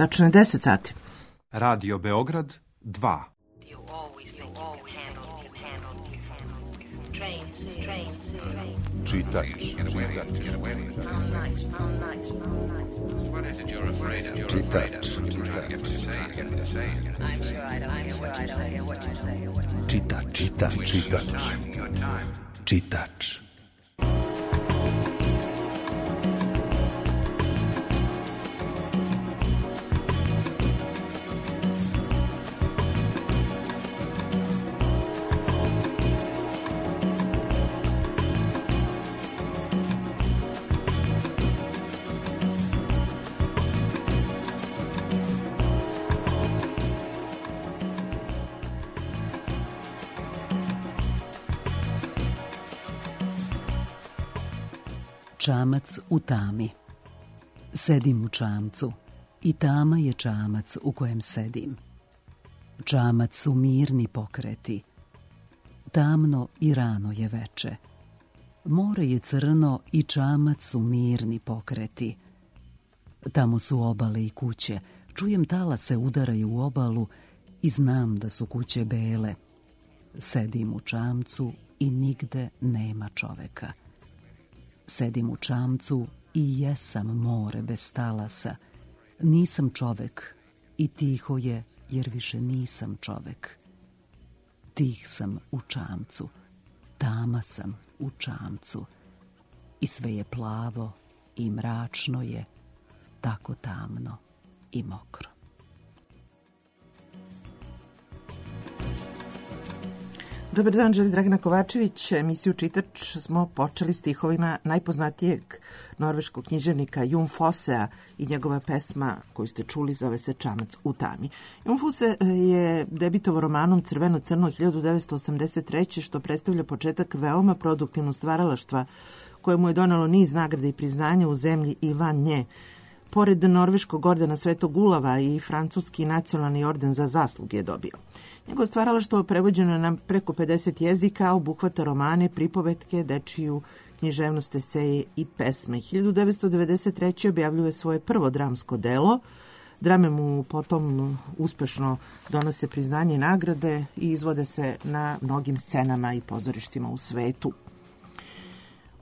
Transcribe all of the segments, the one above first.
Tačno je 10 sati. Radio Beograd 2. Čitač. Čamac u tami. Sedim u čamcu i tama je čamac u kojem sedim. Čamac su mirni pokreti. Tamno i rano je veče. More je crno i čamac su mirni pokreti. Tamo su obale i kuće. Čujem talase udaraju u obalu i znam da su kuće bele. Sedim u čamcu i nigde nema čoveka. Sedim u čamcu i jesam more bez talasa. Nisam čovek i tiho je jer više nisam čovek. Tih sam u čamcu, tama sam u čamcu. I sve je plavo i mračno je, tako tamno i mokro. Dobar dan, želi Dragana Kovačević. Emisiju Čitač smo počeli stihovima najpoznatijeg norveškog književnika Jon Fossea i njegova pesma koju ste čuli zove se Čamac u tami. Jon Fosse je debitovao romanom Crveno-crno 1983. što predstavlja početak veoma produktivnog stvaralaštva koje mu je donalo niz nagrada i priznanja u zemlji i van nje. Pored norveškog ordena Svetog Ulava i francuski nacionalni orden za zasluge je dobio. Njegovo stvaralaštvo prevođeno je na preko 50 jezika, obuhvata romane, pripovetke, dečiju književnost, eseje i pesme. 1993. objavljuje svoje prvo dramsko delo. Drame mu potom uspešno donose priznanje i nagrade i izvode se na mnogim scenama i pozorištima u svetu.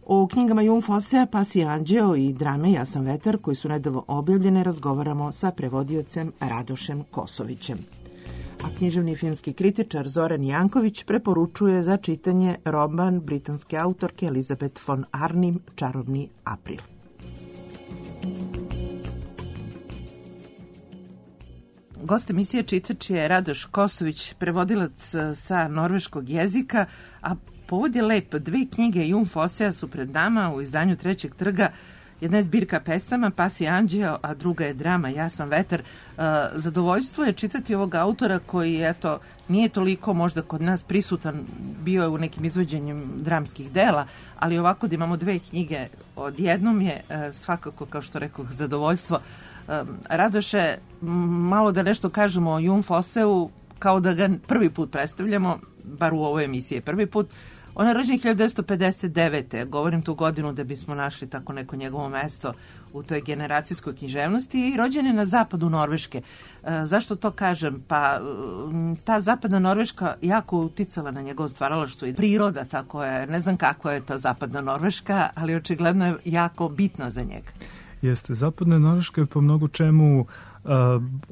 O knjigama Jon Fossea, Pasi anđeo i drame Ja sam vetar, koji su nedavno objavljene, razgovaramo sa prevodiocem Radošem Kosovićem. A književni filmski kritičar Zoran Janković preporučuje za čitanje roman britanske autorke Elizabeth von Arnim Čarobni april. Gost emisije Čitač je Radoš Kosović, prevodilac sa norveškog jezika, a povod je lep. 2 knjige Jon Fossea su pred nama u izdanju Trećeg trga. Jedna je zbirka pesama Pasi anđeo, a druga je drama Ja sam vetar. Zadovoljstvo je čitati ovog autora koji, eto, nije toliko možda kod nas prisutan, bio je u nekim izvođenjem dramskih dela, ali ovako da imamo 2 knjige odjednom je svakako, kao što rekoh, zadovoljstvo. Radoše, malo da nešto kažemo o Jon Fosseu, kao da ga prvi put predstavljamo, bar u ovoj emisiji prvi put. On je rođen 1959. Govorim tu godinu da bismo našli tako neko njegovo mesto u toj generacijskoj književnosti i rođen je na zapadu Norveške. Zašto to kažem? Pa ta zapadna Norveška jako uticala na njegovo stvaralaštvo i priroda, tako je, ne znam kakva je ta zapadna Norveška, ali očigledno je jako bitna za njega. Jeste, zapadna Norveška je po mnogo čemu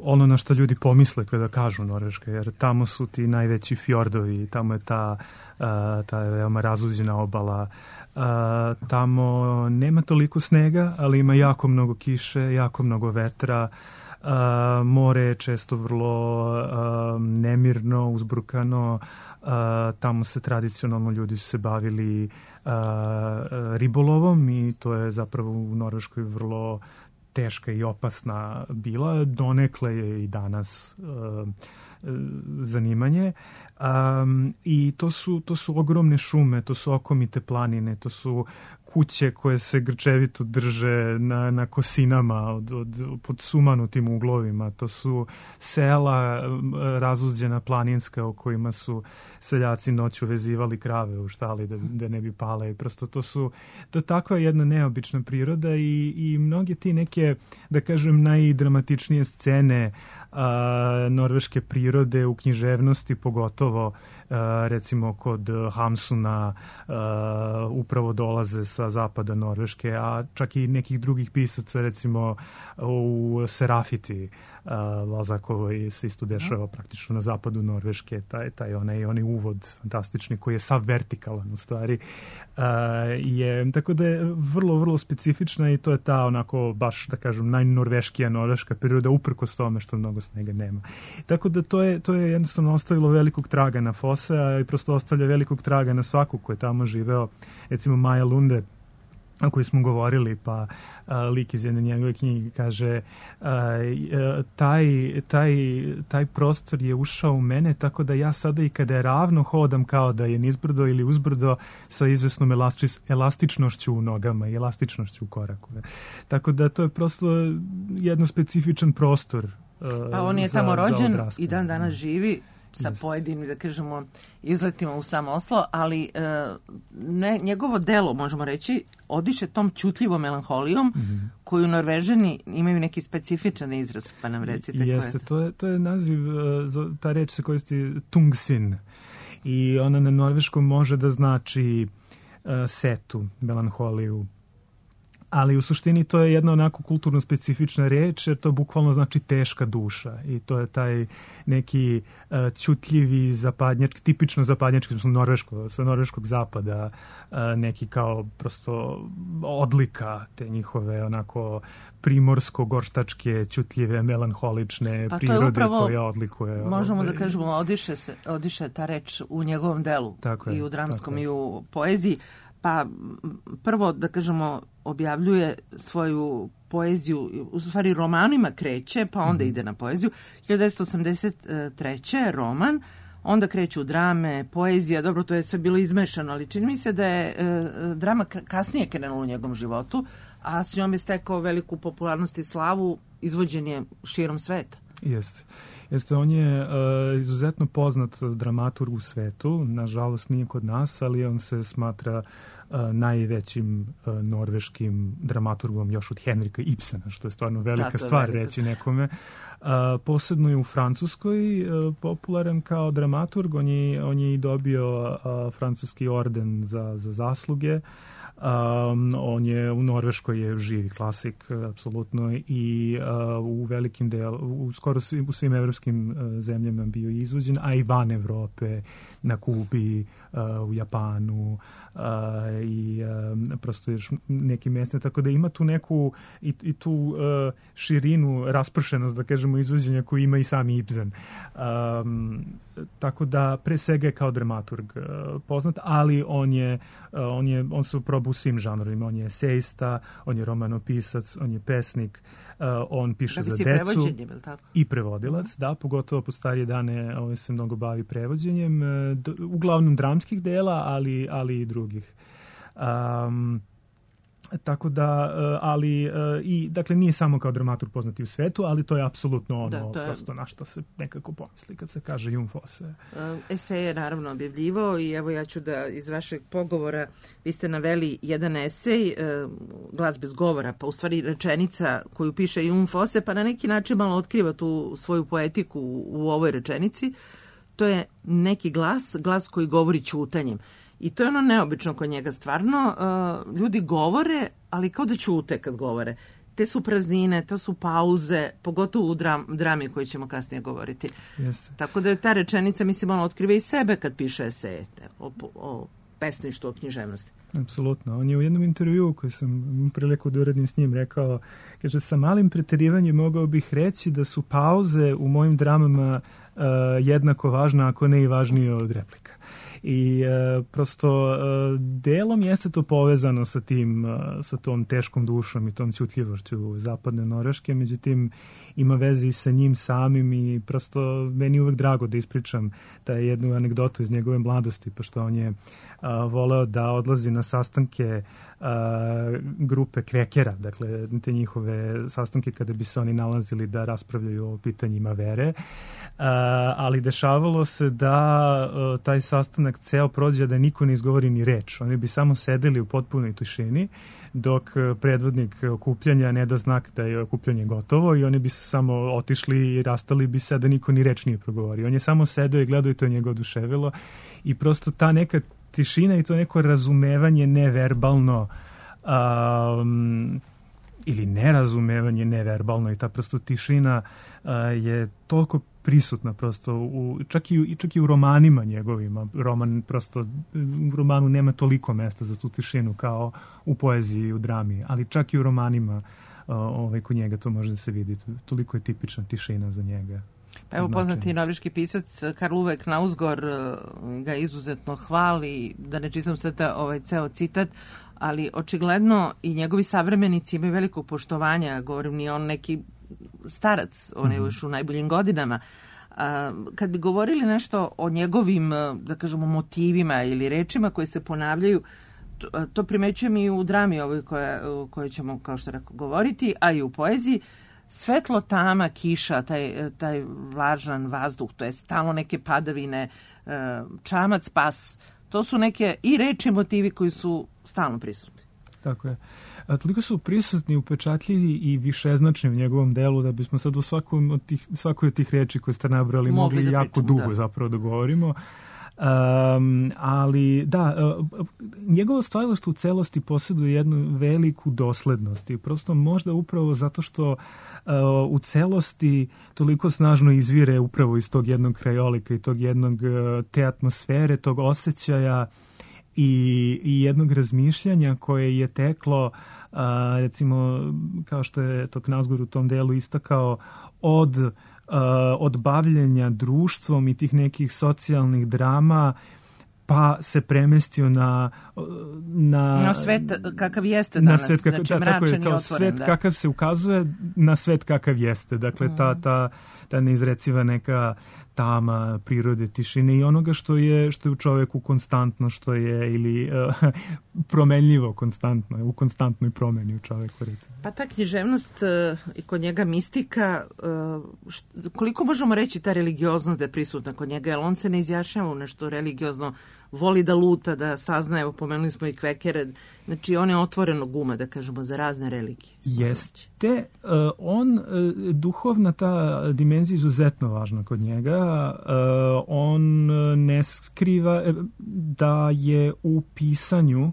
ono na što ljudi pomisle kada kažu Norveška, jer tamo su ti najveći fjordovi, tamo je ta veoma razuđena obala, tamo nema toliko snega, ali ima jako mnogo kiše, jako mnogo vetra, more je često vrlo nemirno, uzburkano, tamo se tradicionalno ljudi su se bavili ribolovom i to je zapravo u Norveškoj vrlo teška i opasna bila, donekle je i danas zanimanje. I to su ogromne šume, to su okomite planine, to su kuće koje se grčevito drže na kosinama pod sumanutim uglovima, to su sela razuđena planinska u kojima su seljaci noću vezivali krave u štali da ne bi pale. Prosto to je takva jedna neobična priroda i mnoge ti neke, da kažem, najdramatičnije scene norveške prirode u književnosti, pogotovo recimo kod Hamsuna upravo dolaze sa zapada Norveške, a čak i nekih drugih pisaca, recimo u Serafiti Balzakovoj se isto dešava praktično na zapadu Norveške, taj onaj uvod fantastični koji je sav vertikalan u stvari, tako da je vrlo, vrlo specifična i to je ta onako baš, da kažem, najnorveškija norveška priroda uprkos tome što mnogo snega nema. Tako da to je jednostavno ostavilo velikog traga na Fosse i prosto ostavlja velikog traga na svaku ko je tamo živeo. Recimo Maja Lunde, o kojoj smo govorili, pa lik iz jedne njegove knjige kaže taj prostor je ušao u mene tako da ja sada i kada je ravno hodam kao da je nizbrdo ili uzbrdo sa izvesnom elastičnošću u nogama i elastičnošću u koraku. Tako da to je prosto jedno specifičan prostor. Pa on je tamo rođen i dan danas živi sa pojedinim, da kažemo, izletima u sam Oslo, ali njegovo delo, možemo reći, odiše tom ćutljivom melanholijom koju Norvežani imaju neki specifičan izraz, pa nam recite koje je to. To je naziv, ta reč se koristi tungsin i ona na norveškom može da znači setu, melanholiju, ali u suštini to je jedna onako kulturno specifična reč, jer to bukvalno znači teška duša i to je taj neki ćutljivi zapadnjački, tipično zapadnjački, sa norveškog zapada, neki kao prosto odlika te njihove onako primorsko-gorštačke, ćutljive, melanholične prirode upravo, koja odlikuje. Možemo da kažemo, odiše ta reč u njegovom delu, i u dramskom i u poeziji. Pa prvo, da kažemo, objavljuje svoju poeziju, u stvari romanima kreće, pa onda ide na poeziju. 1983. roman, onda kreću drame, poezija, dobro, to je sve bilo izmešano, ali čini mi se da je drama kasnije krenula u njegovom životu, a s njom je stekao veliku popularnost i slavu, izvođen je širom sveta. Jeste, on je izuzetno poznat dramaturg u svetu, nažalost nije kod nas, ali on se smatra najvećim norveškim dramaturgom još od Henrika Ibsena, što je stvarno velika stvar reći nekome. Posebno je u Francuskoj popularan kao dramaturg, on je i dobio francuski orden za zasluge. On je u Norveškoj je živi klasik apsolutno i u velikim skoro u svim evropskim zemljama bio izvođen, a i van Evrope, na Kubi, u Japanu i prosto još nekim mjestima, tako da ima tu neku i tu širinu, raspršenost, da kažemo, izvođenja koju ima i sami Ibsen. Tako da pre svega je kao dramaturg poznat, ali on se probao u svim žanrovima. On je esejista, on je romanopisac, on je pesnik, on piše za decu i prevodilac, da, pogotovo pod starije dane se mnogo bavi prevođenjem, uglavnom dramskih dela, ali i drugih. Tako da, ali i dakle nije samo kao dramaturg poznati u svetu, ali to je apsolutno ono prosto na što se nekako pomisli kad se kaže Jon Fosse. Esej je naravno objavljivao i evo ja ću da iz vašeg pogovora, vi ste naveli jedan esej, Glas bez govora, pa u stvari rečenica koju piše Jon Fosse, pa na neki način malo otkriva tu svoju poetiku u ovoj rečenici. To je neki glas koji govori ćutanjem. I to je ono neobično kod njega stvarno. Ljudi govore, ali kao da ćute kad govore. Te su praznine, to su pauze, pogotovo u drami koju ćemo kasnije govoriti. Jeste. Tako da je ta rečenica, mislim, ono otkriva i sebe kad piše eseje o pesništvu, o književnosti. Apsolutno. On je u jednom intervjuu koji sam priliku da uradim s njim rekao, kaže, sa malim preterivanjem mogao bih reći da su pauze u mojim dramama jednako važna, ako ne i važnije od replika. I prosto delom jeste to povezano sa tim, sa tom teškom dušom i tom ćutljivošću zapadne Norveške, međutim ima veze i sa njim samim i prosto meni je uvek drago da ispričam taj jednu anegdotu iz njegove mladosti, pošto on je voleo da odlazi na sastanke grupe kvekera, dakle te njihove sastanke kada bi se oni nalazili da raspravljaju o pitanjima vere, ali dešavalo se da taj sastanak ceo prođe da niko ne izgovori ni reč. Oni bi samo sedeli u potpunoj tišini dok predvodnik okupljanja ne da znak da je okupljanje gotovo i oni bi se samo otišli i rastali bi se da niko ni reč nije progovorio. On je samo sedeo i gledao i to je njega oduševilo i prosto ta neka tišina i to neko razumevanje neverbalno ili nerazumevanje neverbalno i ta prosto tišina je toliko prisutna prosto čak i u romanima njegovima. U romanu nema toliko mesta za tu tišinu kao u poeziji i u drami, ali čak i u romanima kod njega to može da se vidi. Toliko je tipična tišina za njega. Pa evo, poznati norveški pisac Karl Ove Knausgård ga izuzetno hvali, da ne čitam sada ceo citat, ali očigledno i njegovi savremenici imaju veliko poštovanja, govorim, nije on neki starac, on je još u najboljim godinama. Kad bi govorili nešto o njegovim, da kažemo, motivima ili rečima koje se ponavljaju, to primećujem i u drami ovoj kojoj ćemo, kao što rekao, govoriti, a i u poeziji. Svetlo, tama, kiša, taj vlažan vazduh, to je stalno neke padavine, čamac, pas, to su neke i reči, motivi koji su stalno prisutni. Tako je. Toliko su prisutni, upečatljivi i višeznačni u njegovom delu da bismo sad o svakoj od tih reči koje ste nabrali mogli jako dugo zapravo da govorimo. Ali da, njegovo stvaralaštvo u celosti posjeduje jednu veliku doslednost i prosto možda upravo zato što u celosti toliko snažno izvire upravo iz tog jednog krajolika i tog jednog te atmosfere, tog osjećaja i jednog razmišljanja koje je teklo, recimo kao što je to Knausgård u tom delu istakao, od bavljenja društvom i tih nekih socijalnih drama, pa se premestio na svet kakav jeste danas, znači mračan i otvoren. Svet kakav se ukazuje na svet kakav jeste. Dakle, ta neizreciva neka tama prirode, tišine i onoga što je u čoveku konstantno, što je ili promenljivo konstantno, u konstantnoj promeni u čoveku, recimo. Pa ta književnost i kod njega mistika, koliko možemo reći ta religioznost da je prisutna kod njega, jer on se ne izjašnjava u nešto religiozno, voli da luta, da saznaje, evo pomenuli smo i kvekere, znači on je otvorenog uma, da kažemo, za razne religije. Jeste, duhovna ta dimenzija je izuzetno važna kod njega, on ne skriva da je u pisanju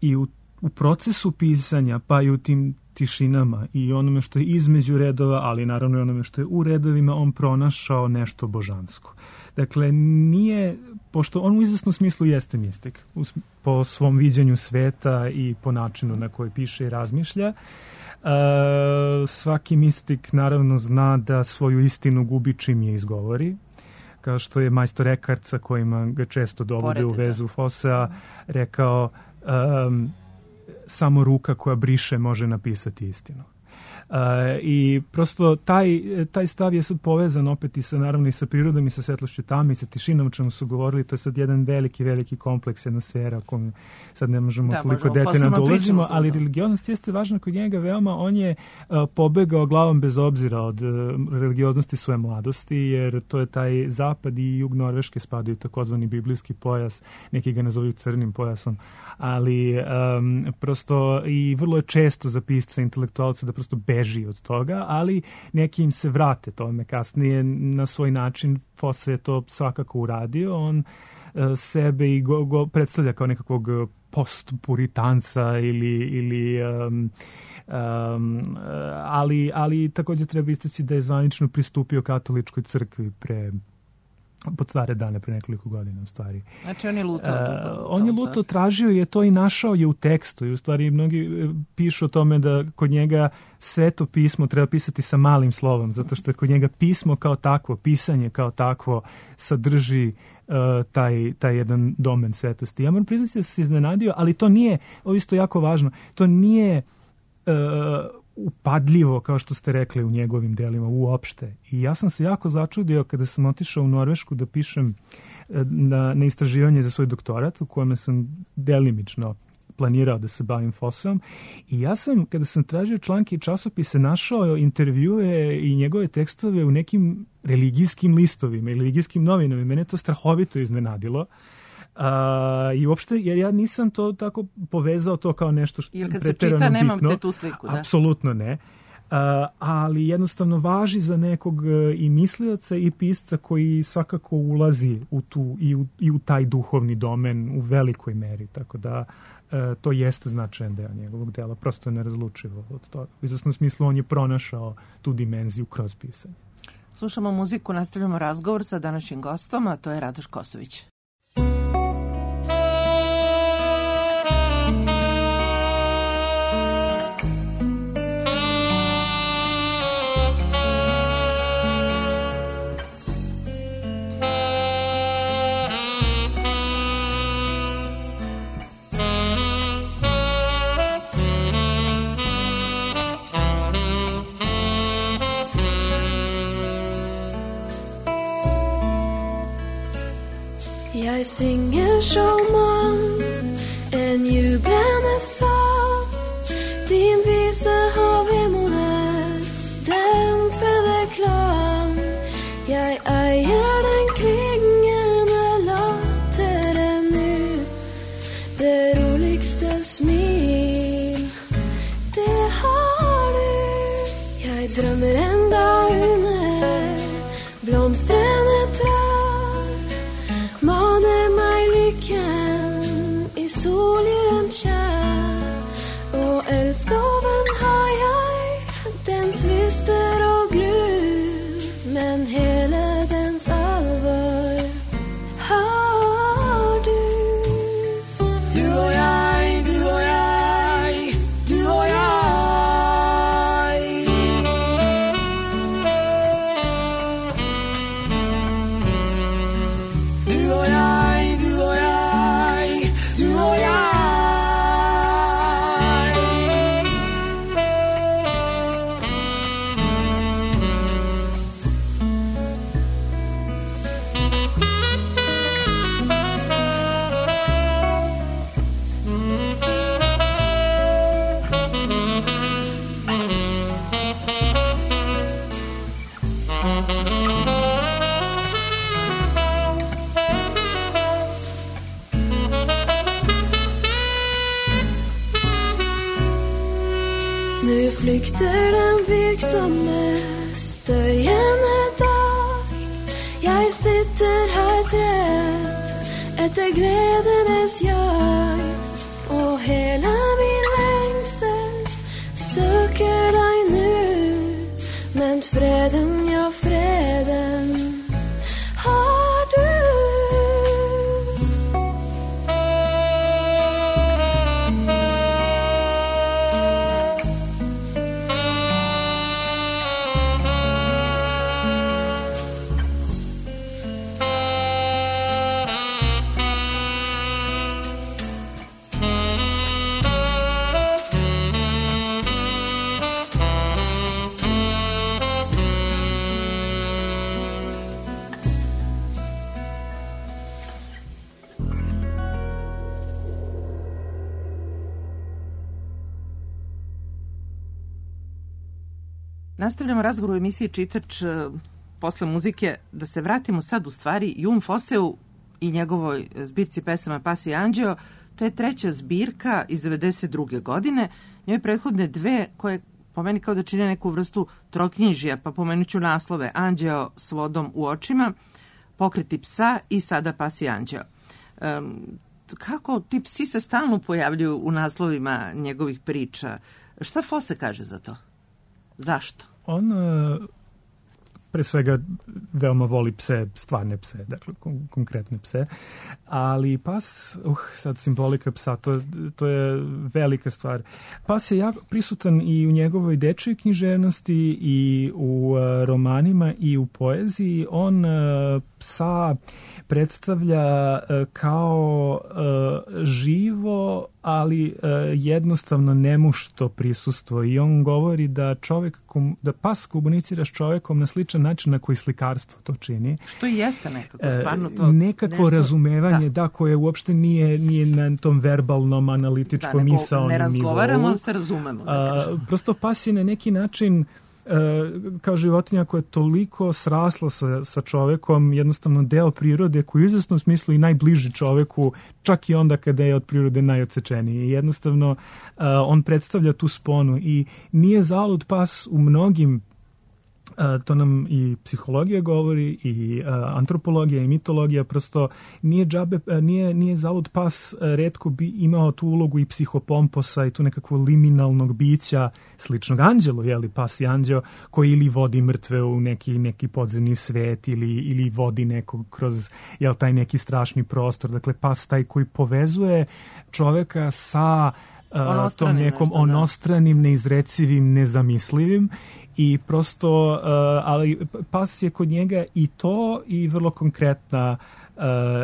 i u procesu pisanja, pa i u tim tišinama i onome što je između redova, ali naravno i onome što je u redovima, on pronašao nešto božansko. Dakle, nije, pošto on u izvesnom smislu jeste mistik, po svom viđenju sveta i po načinu na koji piše i razmišlja, svaki mistik naravno zna da svoju istinu gubi čim je izgovori, kao što je majstor Eckhart, sa kojima ga često dovode u vezu Fossea, rekao samo ruka koja briše može napisati istinu. I prosto taj stav je sad povezan opet i sa, naravno, i sa prirodom i sa svetlošću tame i sa tišinom o čemu su govorili. To je sad jedan veliki kompleks, jedna sfera o kojem sad ne možemo toliko detaljno da ulazimo, ali religioznost jeste važna kod njega veoma. On je pobegao glavom bez obzira od religioznosti svoje mladosti, jer to je taj zapad i jug Norveške spadaju takozvani biblijski pojas, neki ga nazovaju crnim pojasom, ali prosto i vrlo je često za pisca intelektualca da prosto beži od toga, ali neki im se vrate tome kasnije na svoj način. Fosse je to svakako uradio, on sebe i go predstavlja kao nekakvog postpuritanca ali također treba istaći da je zvanično pristupio katoličkoj crkvi pod stare dane, pre nekoliko godina u stvari. Znači on je lutao. On je lutao, tražio je to i našao je u tekstu i u stvari mnogi pišu o tome da kod njega sveto pismo treba pisati sa malim slovom, zato što je kod njega pismo kao takvo, pisanje kao takvo sadrži taj jedan domen svetosti. Ja moram priznati da sam se iznenadio, ali to nije, ovo isto jako važno, to nije upadljivo, kao što ste rekli, u njegovim delima uopšte. I ja sam se jako začudio kada sam otišao u Norvešku da pišem na istraživanje za svoj doktorat, u kojem sam delimično planirao da se bavim Fosseom. I ja sam, kada sam tražio članke i časopise, našao intervjue i njegove tekstove u nekim religijskim listovima ili religijskim novinama. Mene to strahovito iznenadilo. I uopšte, jer ja nisam to tako povezao to kao nešto što jer kad se čita, nemam te tu sliku, da? Apsolutno ne. Ali jednostavno važi za nekog i mislioca i pisca koji svakako ulazi u tu i u taj duhovni domen u velikoj meri, tako da to jeste značajan deo njegovog dela, prosto je nerazlučivo od toga. U izvesnom smislu on je pronašao tu dimenziju kroz pisanje. Slušamo muziku, nastavljamo razgovor sa današnjim gostom, a to je Radoš Kosović. Jeg synger som en jublende sang. Din vise har vemodets dempede klang. Jeg eier den klingende latteren nu. Det roligste smil, det har du. Jeg drømmer en dag under blomstrende trær. Maner meg lykken i solgyren kjær. Og elskoven har jeg, dens lyster og gru, men hele dens alvor har du. Du og jeg, du og jeg, du og jeg. Nu flykter den virksomme støyende dag. Jeg sitter her trett etter gledenes jag. Og hele min lengsel søker deg nu. Men freden, ja freden har du. Nastavljamo razgovor u emisiji Čitač posle muzike. Da se vratimo sad u stvari Jun Fosseu i njegovoj zbirci pesama Pas i anđeo. To je treća zbirka iz 92. godine. Njoj prethodne dve koje po meni kao da čine neku vrstu troknjižija, pa pomenut ću naslove: Anđeo s vodom u očima, Pokreti psa i sada Pas i anđeo. Kako ti psi se stalno pojavljuju u naslovima njegovih priča? Šta Fosse kaže za to? Zašto? On pre svega veoma voli pse, stvarne pse, dakle konkretne pse. Ali pas, sad simbolika psa, to je velika stvar. Pas je jako prisutan i u njegovoj dečjoj književnosti i u romanima i u poeziji. On psa predstavlja kao živo, ali jednostavno nemušto prisustvo. I on govori da da pas komunicira s čovekom na sličan način na koji slikarstvo to čini. Što i jeste nekako, stvarno to... Nekako nešto, razumevanje, da, koje uopšte nije na tom verbalnom, analitičkom, misaonom nivou. Ne razgovaramo, ali se razumemo. Prosto pas je na neki način kao životinja koja je toliko srasla sa čovekom, jednostavno deo prirode koji u izvesnom smislu i najbliži čoveku, čak i onda kada je od prirode najodsečeniji. Jednostavno on predstavlja tu sponu i nije zalud pas u mnogim, to nam i psihologija govori i antropologija i mitologija, prosto nije zalud pas retko bi imao tu ulogu i psihopomposa i tu nekakvo liminalnog bića sličnog anđelu, pas i anđeo koji ili vodi mrtve u neki podzemni svet ili vodi nekog kroz taj neki strašni prostor. Dakle, pas taj koji povezuje čoveka sa tom nekom onostranim, neizrecivim, nezamislivim i prosto, ali pas je kod njega i to i vrlo konkretna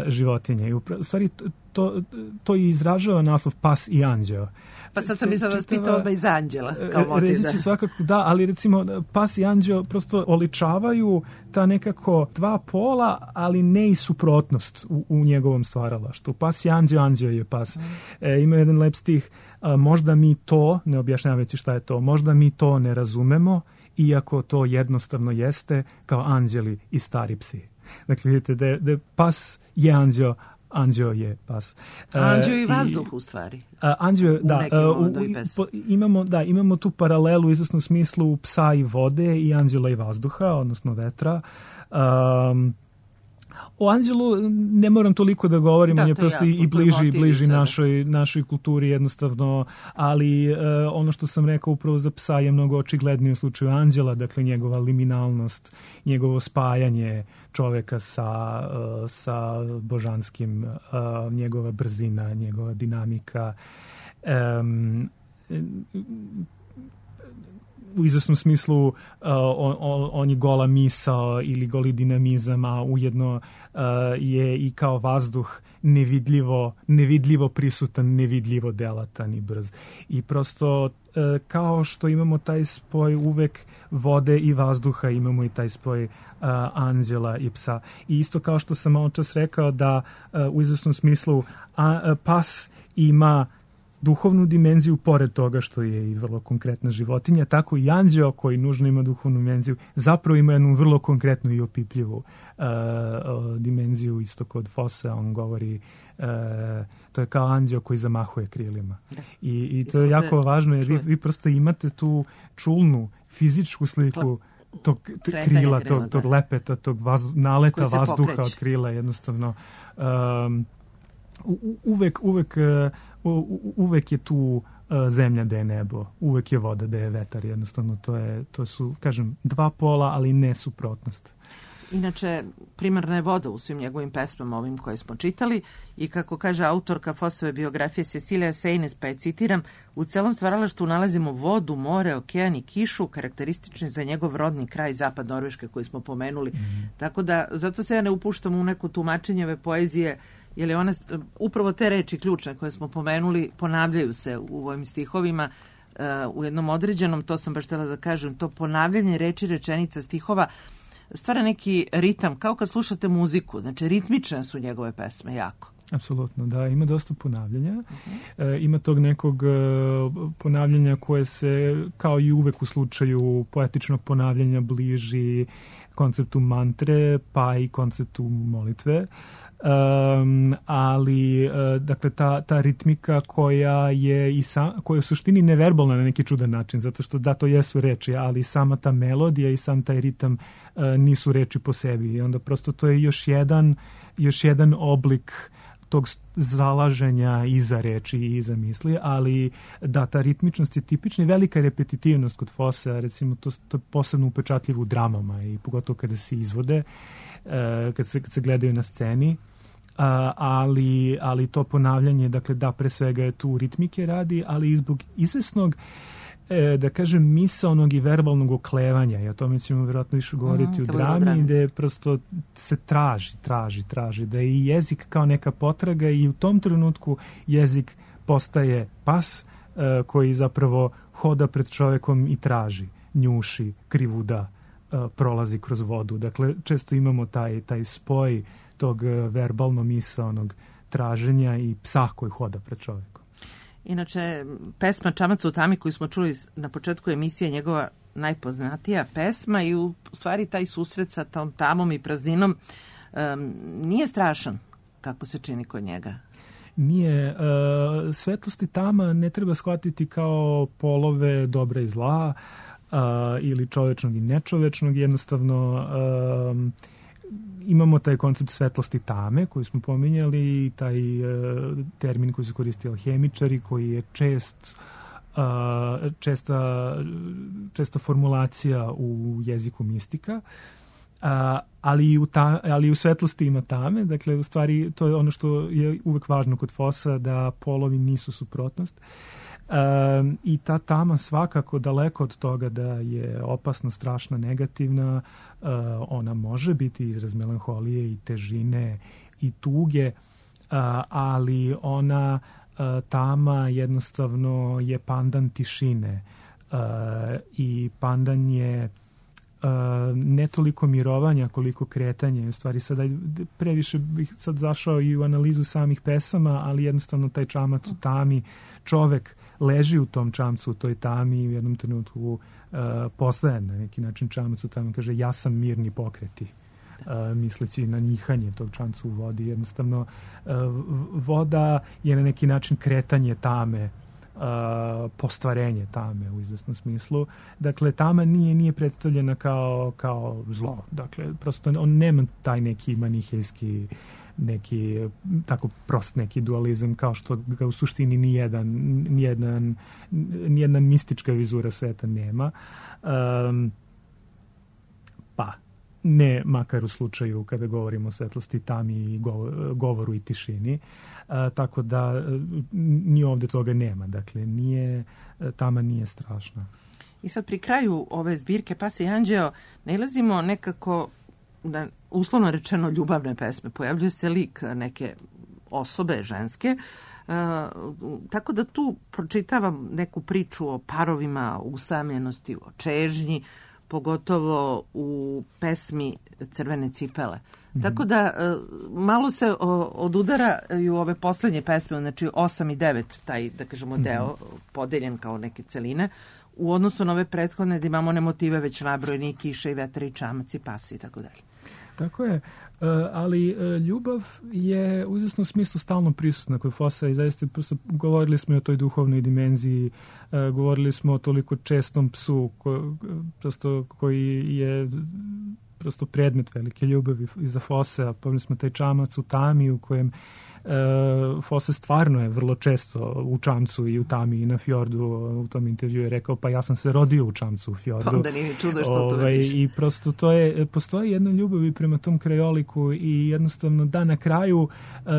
životinja. I u stvari to i izražava naslov pas i anđeo. Pa sad sam mislila da vas pitao odmah iz anđela. Reći ću svakako da, ali recimo pas i anđeo prosto oličavaju ta nekako dva pola, ali ne i suprotnost u njegovom stvaralaštu. Pas je anđeo, anđeo je pas. Ima jedan lep stih, možda mi to, ne objašnjavajući šta je to, možda mi to ne razumemo, iako to jednostavno jeste kao anđeli i stari psi. Dakle, vidite da pas je anđeo, anđeo je pas. Anđeo i vazduh u stvari. Anđeo, da. Imamo tu paralelu u izvesnom smislu psa i vode i anđela i vazduha, odnosno vetra. O anđelu ne moram toliko da govorim, on je prosto i bliži našoj kulturi jednostavno, ali ono što sam rekao upravo za psa je mnogo očiglednije u slučaju anđela, dakle njegova liminalnost, njegovo spajanje čoveka sa božanskim, njegova brzina, njegova dinamika. U izvesnom smislu on je gola misao ili goli dinamizam, a ujedno je i kao vazduh nevidljivo prisutan, nevidljivo delatan i brz. I prosto kao što imamo taj spoj uvek vode i vazduha, imamo i taj spoj anđela i psa. I isto kao što sam malo čas rekao da u izvesnom smislu pas ima duhovnu dimenziju, pored toga što je i vrlo konkretna životinja, tako i anđeo koji nužno ima duhovnu dimenziju, zapravo ima jednu vrlo konkretnu i opipljivu dimenziju. Isto kod Fossea on govori, to je kao anđeo koji zamahuje krilima. I to je jako važno, jer vi prosto imate tu čulnu fizičku sliku tog krila, tog lepeta, tog naleta vazduha od krila, jednostavno. Uvek je tu zemlja da je nebo, uvek je voda da je vetar, jednostavno to su, kažem, dva pola, ali ne suprotnost. Inače, primarna je voda u svim njegovim pesmama, ovim koje smo čitali, i kako kaže autorka Fossove biografije Cecilia Saynes, pa je citiram, u celom stvaralaštvu nalazimo vodu, more, okean i kišu, karakteristični za njegov rodni kraj zapad Norveške koji smo pomenuli. Tako da, zato se ja ne upuštam u neku tumačenje ove poezije, jer je ona, upravo te reči ključne koje smo pomenuli, ponavljaju se u ovim stihovima u jednom određenom, to sam baš htjela da kažem, to ponavljanje reči, rečenica, stihova stvara neki ritam, kao kad slušate muziku, znači ritmične su njegove pesme jako. Apsolutno, da, ima dosta ponavljanja. Ima tog nekog ponavljanja koje se, kao i uvek u slučaju poetičnog ponavljanja, bliži konceptu mantre, pa i konceptu molitve. Ali dakle ta ritmika koja je u suštini neverbalna na neki čudan način, zato što da, to jesu reči, ali sama ta melodija i sam taj ritam nisu reči po sebi, i onda prosto to je još jedan oblik tog zalaženja iza reči i iza misli, ali da, ta ritmičnost je tipična i velika repetitivnost kod Fossea, recimo to je posebno upečatljivo u dramama i pogotovo kada se izvode, kad se gledaju na sceni. ali to ponavljanje, dakle da, pre svega je tu ritmike radi, ali i zbog izvesnog, da kažem, misaonog i verbalnog oklevanja, i o tome ćemo vjerojatno više govoriti u drami, gde prosto se traži, da je i jezik kao neka potraga i u tom trenutku jezik postaje pas koji zapravo hoda pred čovekom i traži, njuši, krivuda, prolazi kroz vodu. Dakle, često imamo taj spoj tog verbalno-misaonog traženja i psa koji hoda pred čovekom. Inače, pesma Čamac u tami koju smo čuli na početku emisije, njegova najpoznatija pesma, i u stvari taj susret sa tom tamom i prazninom nije strašan kako se čini kod njega. Nije. Svetlost i tama ne treba shvatiti kao polove dobra i zla, ili čovečnog i nečovečnog. Jednostavno imamo taj koncept svetlosti tame koji smo pominjali i taj termin koji se koristi alhemičari, koji je česta formulacija u jeziku mistika. Ali u svetlosti ima tame. Dakle, u stvari to je ono što je uvek važno kod Fossa, da polovi nisu suprotnost. I ta tama svakako, daleko od toga da je opasna, strašna, negativna, ona može biti izraz melanholije i težine i tuge, ali ona, tama jednostavno je pandan tišine i pandan je ne toliko mirovanja koliko kretanje. U stvari sada previše bih sad zašao i u analizu samih pesama, ali jednostavno taj čamac u tami, čovek leži u tom čamcu, u toj tami i u jednom trenutku postaje na neki način čamac u tami, kaže ja sam mirni pokreti, misleći na njihanje tog čamca u vodi. Jednostavno voda je na neki način kretanje tame, postvarenje tame u izvesnom smislu. Dakle, tama nije predstavljena kao zlo. Dakle, prosto on nema taj neki manihejski, neki tako prost neki dualizam, kao što ga u suštini nijedna mistička vizura sveta nema. Pa ne makar u slučaju kada govorimo o svetlosti, tami i govoru i tišini. Tako da ni ovde toga nema. Dakle, tama nije strašna. I sad pri kraju ove zbirke Pase i Anđeo nailazimo nekako na uslovno rečeno ljubavne pesme. Pojavljuje se lik neke osobe ženske, tako da tu pročitavam neku priču o parovima, o usamljenosti, o čežnji, pogotovo u pesmi Crvene cipele. Tako da malo se odudaraju ove poslednje pesme, znači 8 i 9, taj, da kažemo, deo podeljen kao neke celine, u odnosu na ove prethodne da imamo one motive već nabrojeni, i kiša i vetar i čamac i pasi i tako dalje. Tako je, ali ljubav je u izvesnom smislu stalno prisutna kod Fossa i zaista prosto govorili smo i o toj duhovnoj dimenziji, govorili smo o toliko čestom psu koji je prosto predmet velike ljubavi iza Fossa. Pomnili smo taj čamac u tami u kojem Fosse stvarno je vrlo često u čamcu i u tami i na fjordu. U tom intervju je rekao, pa ja sam se rodio u čamcu u fjordu. Pa onda nije čudo što to vidiš. I prosto postoji jedna ljubav i prema tom krajoliku i jednostavno da na kraju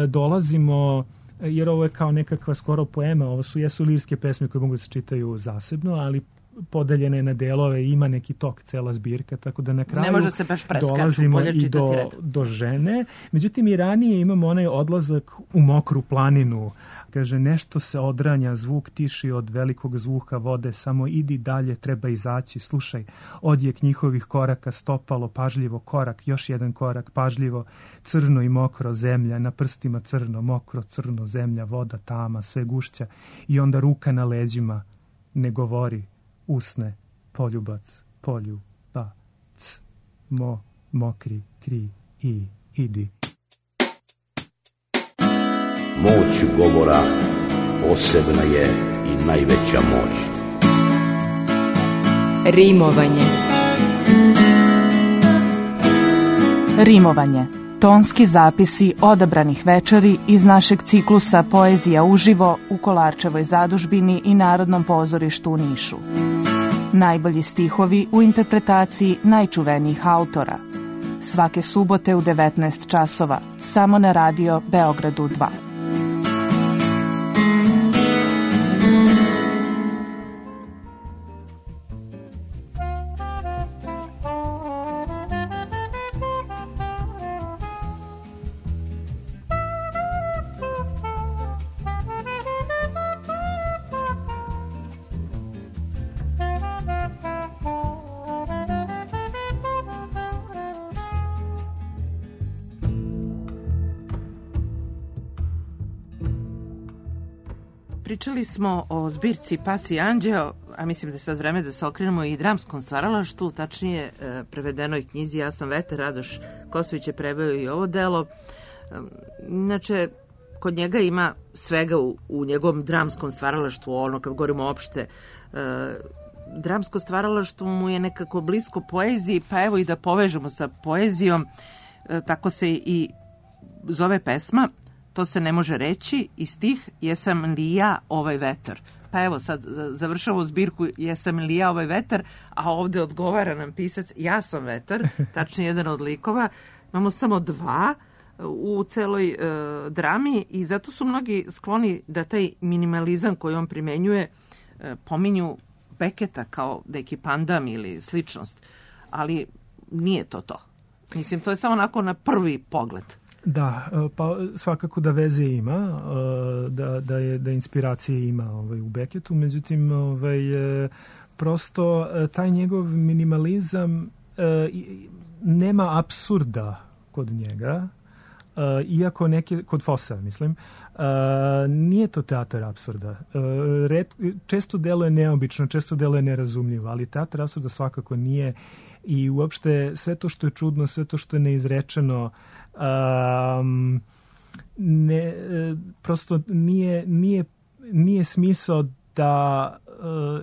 dolazimo, jer ovo je kao nekakva skoro poema, ovo jesu lirske pesme koje mogu da se čitaju zasebno, ali podeljene na delove, ima neki tok, cela zbirka, tako da na kraju dolazimo i do žene. Međutim, i ranije imamo onaj odlazak u mokru planinu. Kaže, nešto se odranja, zvuk tiši od velikog zvuka vode, samo idi dalje, treba izaći, slušaj, odjek njihovih koraka, stopalo, pažljivo, korak, još jedan korak, pažljivo, crno i mokro, zemlja, na prstima crno, mokro, crno, zemlja, voda, tama, sve gušća i onda ruka na leđima, ne govori, usne, poljubac, poljubac, mokri, kri, i, idi. Moć govora posebna je i najveća moć. Rimovanje. Rimovanje. Tonski zapisi odabranih večeri iz našeg ciklusa Poezija uživo u Kolarčevoj zadužbini i Narodnom pozorištu u Nišu. Najbolji stihovi u interpretaciji najčuvenijih autora. svake subote u 19 časova, samo na radio Beogradu 2. Pričali smo o zbirci Pas i anđeo, a mislim da je sad vreme da se okrenemo i dramskom stvaralaštvu, tačnije prevedenoj knjizi Ja sam vetar. Radoš Kosović je preveo i ovo delo. Inače, kod njega ima svega u njegovom dramskom stvaralaštvu, ono kad govorimo opšte. Dramsko stvaralaštvo mu je nekako blisko poeziji, pa evo i da povežemo sa poezijom, tako se i zove pesma. To se ne može reći i stih Jesam li ja ovaj vetar. Pa evo sad završavamo zbirku Jesam li ja ovaj vetar, a ovde odgovara nam pisac Ja sam vetar, tačnije jedan od likova. Imamo samo dva u celoj drami i zato su mnogi skloni da taj minimalizam koji on primenjuje pominju Beketa kao neki pandam ili sličnost, ali nije to to. Mislim, to je samo onako na prvi pogled. Da, pa svakako da veze ima, da inspiracije ima u Beketu, međutim prosto taj njegov minimalizam nema apsurda kod njega, iako kod Fossa, mislim, nije to teatar apsurda. Često deluje neobično, često deluje nerazumljivo, ali teatar apsurda svakako nije i uopšte sve to što je čudno, sve to što je neizrečeno, prosto nije smisao da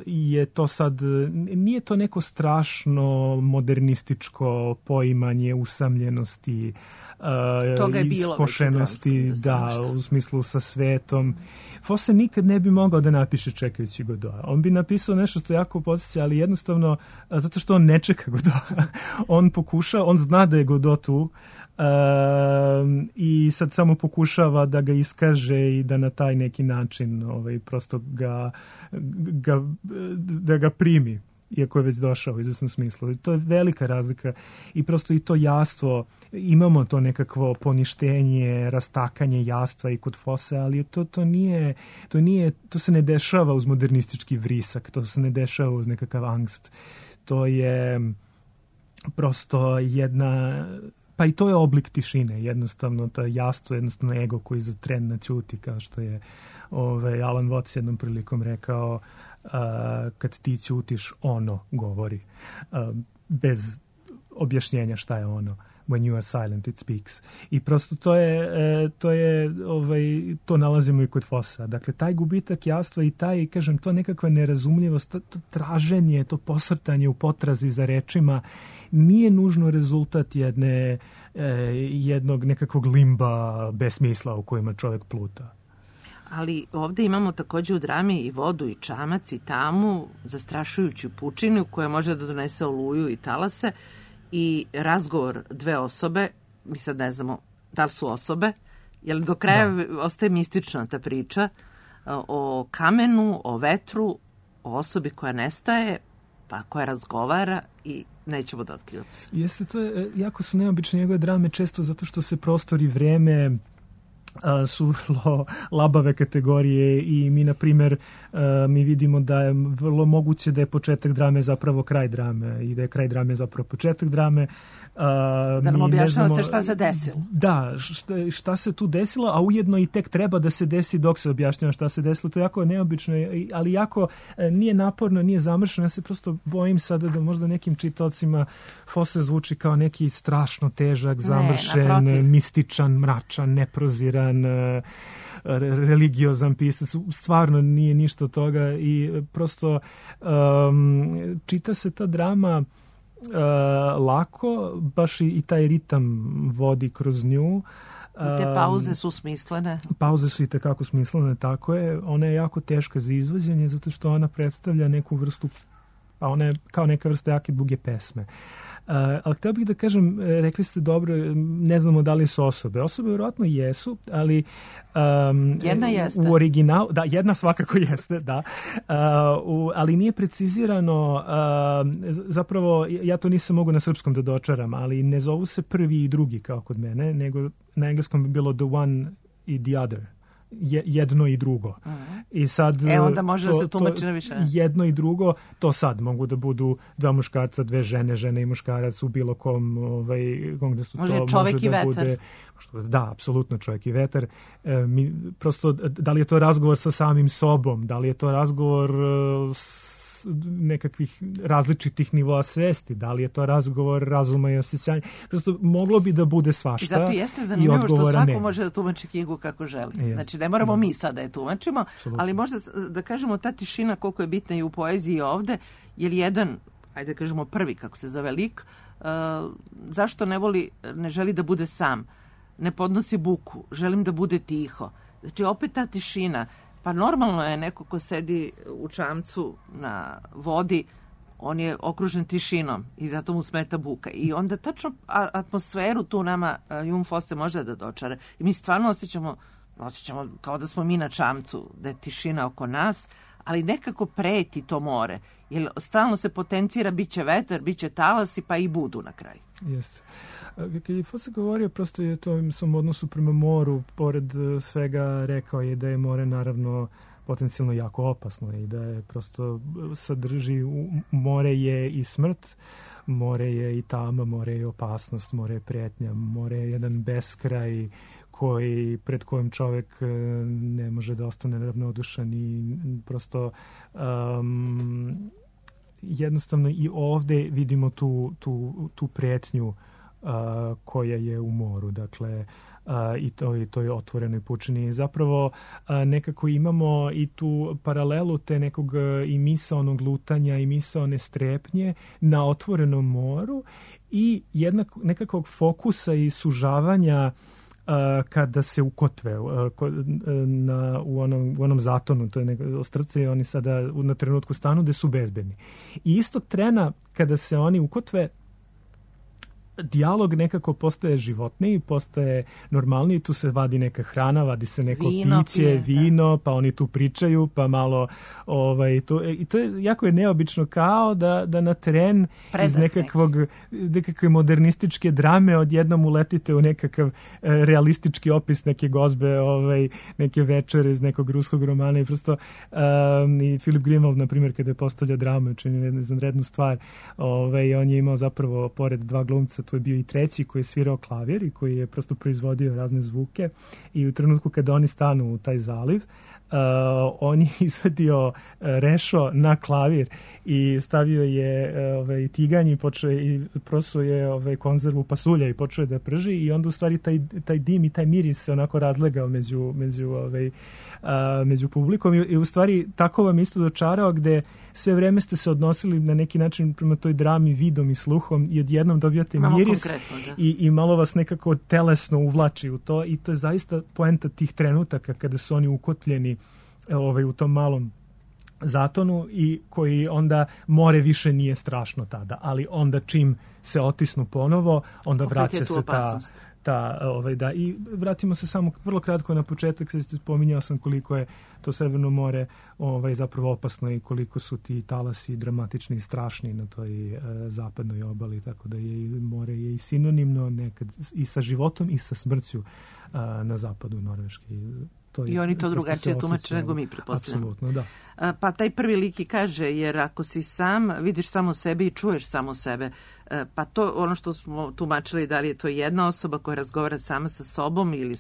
je to sad, nije to neko strašno modernističko poimanje usamljenosti, iskošenosti, u smislu sa svetom. Fosse nikad ne bi mogao da napiše čekajući Godoa. On bi napisao nešto što jako podsjeća, ali jednostavno zato što on ne čeka Godoa. On pokuša, on zna da je Godot tu, i sad samo pokušava da ga iskaže i da na taj neki način prosto da ga primi, iako je već došao u izvesnom smislu. I to je velika razlika i prosto i to jastvo, imamo to nekakvo poništenje, rastakanje jastva i kod Fosse, ali to se ne dešava uz modernistički vrisak, to se ne dešava uz nekakav angst. To je prosto jedna... Pa i to je oblik tišine, jednostavno ta jastvo, jednostavno ego koji za tren naćuti, kao što je Alan Watts jednom prilikom rekao, kad ti ćutiš, ono govori, bez objašnjenja šta je ono. When you are silent, it speaks. I prosto to nalazimo i kod Fossa. Dakle, taj gubitak jastva i taj, kažem, to nekakva nerazumljivost, to traženje, to posrtanje u potrazi za rečima nije nužno rezultat jednog nekakvog limba bez smisla u kojima čovjek pluta. Ali ovde imamo takođe u drami i vodu i čamac i tamu, zastrašujuću pučinu koja može da donese oluju i talase, i razgovor dve osobe, mi sad ne znamo da li su osobe, jer do kraja ostaje mistična ta priča o kamenu, o vetru, o osobi koja nestaje, pa koja razgovara i nećemo da otkrivamo se. Jeste, to je, jako su neobične njegove drame, često zato što se prostor i vreme su vrlo labave kategorije i mi, na primjer, mi vidimo da je vrlo moguće da je početak drame zapravo kraj drame i da je kraj drame zapravo početak drame. Da nam objašnjava se šta se desilo. Da, šta se tu desilo, a ujedno i tek treba da se desi dok se objašnjava šta se desilo. To je jako neobično, ali jako nije naporno, nije zamršeno. Ja se prosto bojim sada da možda nekim čitaocima Fosse zvuči kao neki strašno težak, zamršen, mističan, mračan, neproziran, religiozan pisac. Stvarno nije ništa od toga i prosto čita se ta drama lako, baš i taj ritam vodi kroz nju. I te pauze su smislene. Pauze su i tekako smislene, tako je. Ona je jako teška za izvođenje zato što ona predstavlja neku vrstu, a ona je kao neka vrsta jake duge pesme. Ali htio bih da kažem, rekli ste dobro, ne znamo da li su osobe. Osobe vjerojatno jesu, ali jedna jeste. U originalu, da, jedna svakako jeste, da. Ali nije precizirano, zapravo ja to nisam mogu na srpskom da dočaram, ali ne zovu se prvi i drugi kao kod mene, nego na engleskom bi bilo the one i the other. Jedno i drugo. I sad onda može da se tumači na više. Jedno i drugo, to sad mogu da budu dva muškarca, dve žene, žene i muškarac u bilo kom gde su može to čovek može i da vetar. Bude, da, apsolutno čovjek i vetar. Prosto, da li je to razgovor sa samim sobom, da li je to razgovor nekakvih različitih nivoa svesti, da li je to razgovor razuma i osjećanja. Prosto moglo bi da bude svašta. I zato jeste zanimljivo što svako može da tumači knjigu kako želi. Znači ne moramo mi sad da je tumačimo, ali možda da kažemo ta tišina koliko je bitna i u poeziji ovde, jer jedan, ajde da kažemo prvi kako se zove lik, zašto ne želi da bude sam, ne podnosi buku, želim da bude tiho. Znači opet ta tišina. Pa normalno je neko ko sedi u čamcu na vodi, on je okružen tišinom i zato mu smeta buka. I onda tačno atmosferu tu nama Jon Fosse može da dočara. I mi stvarno osjećamo kao da smo mi na čamcu, da je tišina oko nas, ali nekako preti to more. Jer stalno se potencira, bit će vetar, bit će talasi, pa i budu na kraju. Jeste. Kad je Fosse govorio, prosto je to u svom odnosu prema moru, pored svega rekao je da je more naravno potencijalno jako opasno i da je prosto sadrži, more je i smrt, more je i tama, more je i opasnost, more je prijetnja, more je jedan beskraj pred kojim čovjek ne može da ostane ravnodušan i prosto jednostavno i ovde vidimo tu prijetnju koja je u moru, dakle i to je otvorenoj pučini. Zapravo nekako imamo i tu paralelu te nekog i misaonog lutanja i misaone strepnje na otvorenom moru i nekakvog fokusa i sužavanja kada se ukotve u onom zatonu, to je ostrce i oni sada na trenutku stanu gde su bezbedni. I istog trena kada se oni ukotve, dijalog nekako postaje životniji, postaje normalniji, tu se vadi neka hrana, vadi se neko piće, vino, pa oni tu pričaju, pa malo i to je jako je neobično, kao da na teren iz nekakve modernističke drame odjednom uletite u nekakav realistički opis neke gozbe, neke večere iz nekog ruskog romana i prosto i Philip Greenwald, na primjer, kada je postavlja dramu, čini jednu izvanrednu stvar, on je imao zapravo pored dva glumca, to je bio i treći koji je svirao klavir i koji je prosto proizvodio razne zvuke i u trenutku kada oni stanu u taj zaliv, on je izvadio rešo na klavir i stavio je tiganj i prosuo je konzervu pasulja i počeo da prži i onda u stvari taj dim i taj miris se onako razlegao među publikom i u stvari tako vam isto dočarao gde sve vreme ste se odnosili na neki način prema toj drami vidom i sluhom i odjednom dobijate miris i malo vas nekako telesno uvlači u to i to je zaista poenta tih trenutaka kada su oni ukotljeni u tom malom zatonu i koji onda more više nije strašno tada, ali onda čim se otisnu ponovo, onda vraća se i vratimo se samo vrlo kratko na početak, sad spominjao sam koliko je to Severno more zapravo opasno i koliko su ti talasi dramatični i strašni na toj zapadnoj obali, tako da je more je i sinonimno nekad i sa životom i sa smrću na zapadu Norveške. I oni to drugačije tumače nego mi, pretpostavljamo. Apsolutno, da. Pa taj prvi lik i kaže, jer ako si sam, vidiš samo sebe i čuješ samo sebe. Pa to ono što smo tumačili, da li je to jedna osoba koja razgovara sama sa sobom ili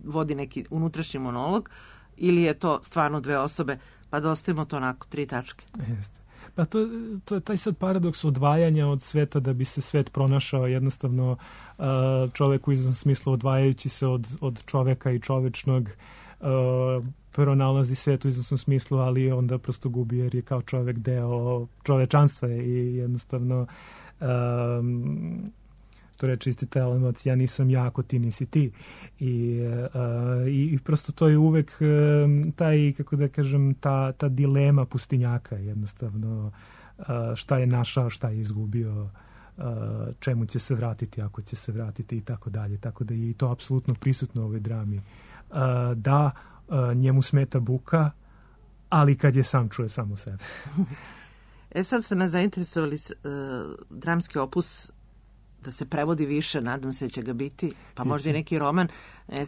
vodi neki unutrašnji monolog, ili je to stvarno dve osobe, pa da ostavimo to onako 3 tačke. Jeste. Pa to je taj sad paradoks odvajanja od sveta da bi se svet pronašao jednostavno čovek u izvesnom smislu odvajajući se od čoveka i čovečnog pronalazi svet u izvesnom smislu, ali onda prosto gubi jer je kao čovek deo čovečanstva i jednostavno to reče isti taj emocija, ja nisam ja ako ti nisi ti i prosto to je uvek taj, kako da kažem, ta dilema pustinjaka jednostavno, šta je našao, šta je izgubio, čemu će se vratiti, ako će se vratiti i tako dalje. Tako da je i to apsolutno prisutno u ovoj drami. Da, njemu smeta buka, ali kad je sam čuje samo sebe. Sad ste nas zainteresovali dramski opus da se prevodi više, nadam se da će ga biti, pa možda i neki roman.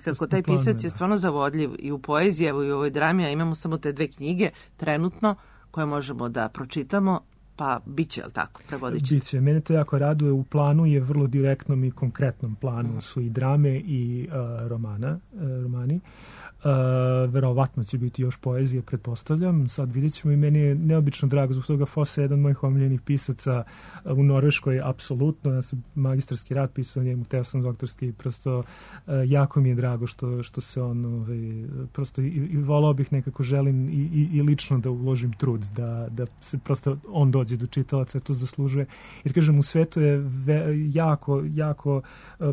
Kako taj pisac je stvarno zavodljiv i u poeziji, evo i u ovoj drami, a imamo samo te 2 knjige trenutno koje možemo da pročitamo, pa bit će, ali tako, prevodit ćete? Biće. Mene to jako raduje. U planu je vrlo direktnom i konkretnom planu su i drame i romani. Verovatno će biti još poezije, pretpostavljam. Sad vidjet ćemo i meni je neobično drago zbog toga. Fosse je jedan od mojih omiljenih pisaca u Norveškoj, apsolutno. Ja sam magistarski rad pisao njemu, teo sam doktorski, prosto jako mi je drago što se on prosto i volao bih, nekako želim i lično da uložim trud da se prosto on dođe do čitalaca, to zaslužuje. Jer kažem, u svetu je jako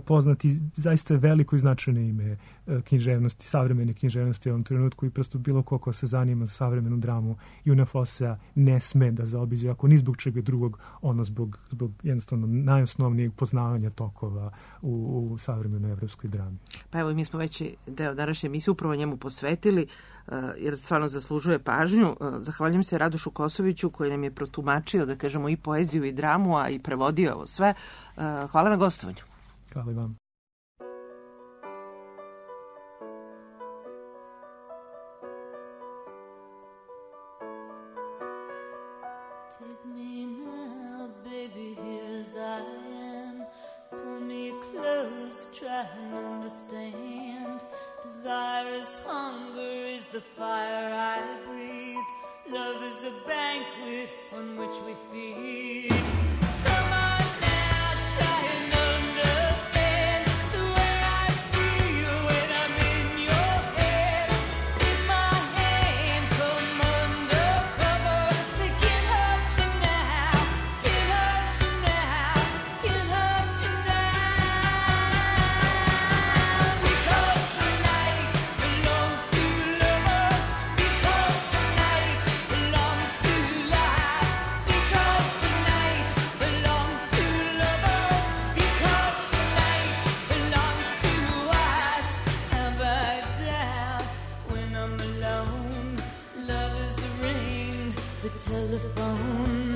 poznat i zaista veliko i značajno ime književnosti, savremene književnosti u ovom trenutku i prosto bilo ko se zanima za savremenu dramu Juna Fossea ne sme da zaobiđe, ako ni zbog čega drugog, ono zbog jednostavno najosnovnijeg poznavanja tokova u savremenoj evropskoj drami. Pa evo, mi smo veći deo današnje emisije upravo njemu posvetili, jer stvarno zaslužuje pažnju. Zahvaljujem se Radošu Kosoviću koji nam je protumačio, da kažemo, i poeziju i dramu, a i prevodio ovo sve. Hvala na gostovanju. Hvala i vam. Take me now, baby, here as I am. Pull me close, try and understand. Desire is hunger, is the fire I breathe. Love is a banquet on which we feed. Come on now, try and understand the way I feel when I'm in your head. Take my hand, come undercover. They can't hurt you now, can't hurt you now, can't hurt you now. Because the night belongs to lovers, because the night belongs to life, because the night belongs to lovers, because the night belongs to us. Have I doubt when I'm alone? Love is the ring, the telephone.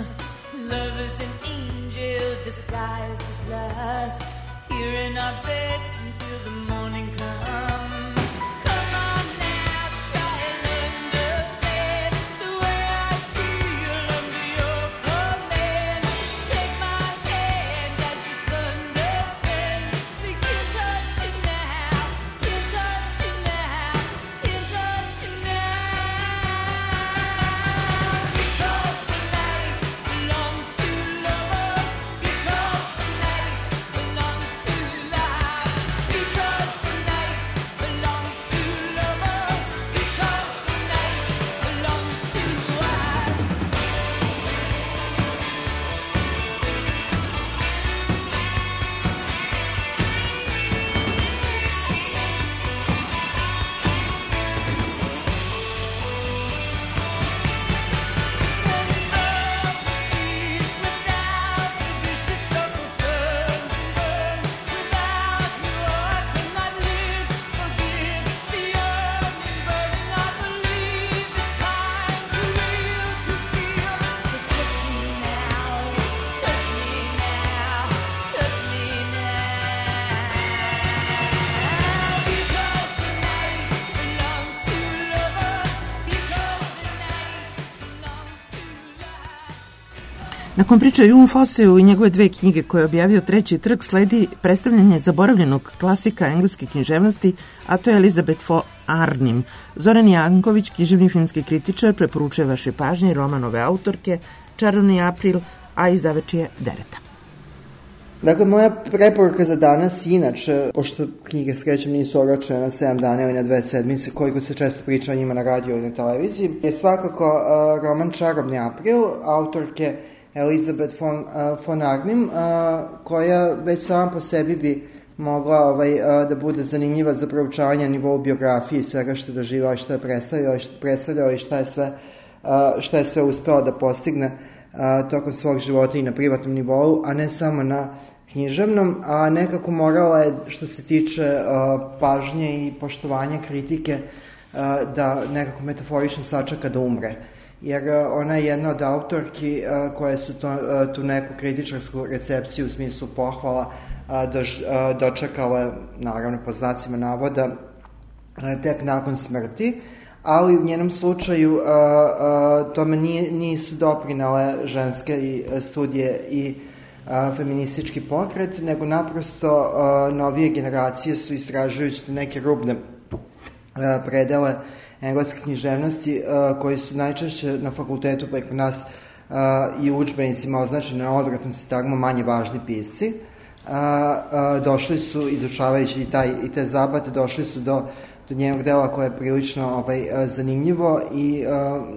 Love is an angel disguised as lust. Here in our bed until the morning comes. Come on now, try and understand the way I feel under your command. Take my hand as the sun descends. They can't touch you now, can't touch you now, can't touch you now. Because the night belongs to lovers, because the night belongs to life, because the night belongs to lovers, because the night belongs to us. Nakon priče o Jun Fosseu i njegove 2 knjige koje je objavio Treći trg, sledi predstavljanje zaboravljenog klasika engleske književnosti, a to je Elizabeth von Arnim. Zoran Janković, književni filmski kritičar, preporučuje vaše pažnje roman ove autorke Čarobni april, a izdavač je Dereta. Dakle, moja preporuka za danas, inače, pošto knjige srećem nisu oročene na 7 dana ili na 2 sedmice, koliko se često priča o njima na radio i na televiziji, je svakako roman Čarobni april, autorke Elizabeth von Arnim, koja već sama po sebi bi mogla da bude zanimljiva za proučavanje na nivou biografije i svega što je doživao i što je predstavljao i šta je sve uspeo da postigne tokom svog života i na privatnom nivou, a ne samo na književnom, a nekako morala je, što se tiče pažnje i poštovanja kritike, da nekako metaforično sačeka da umre. Jer ona je jedna od autorki koje su tu neku kritičarsku recepciju u smislu pohvala dočekala, naravno po znacima navoda, tek nakon smrti, ali u njenom slučaju tome nisu doprinale ženske studije i feministički pokret, nego naprosto novije generacije su istražujući neke rubne predele engleske književnosti koji su najčešće na fakultetu preko nas i u udžbenicima označeni na odvratnom sintagmu manje važni pisci. Došli su, izučavajući i te zabate, došli su do njenog dela koje je prilično zanimljivo i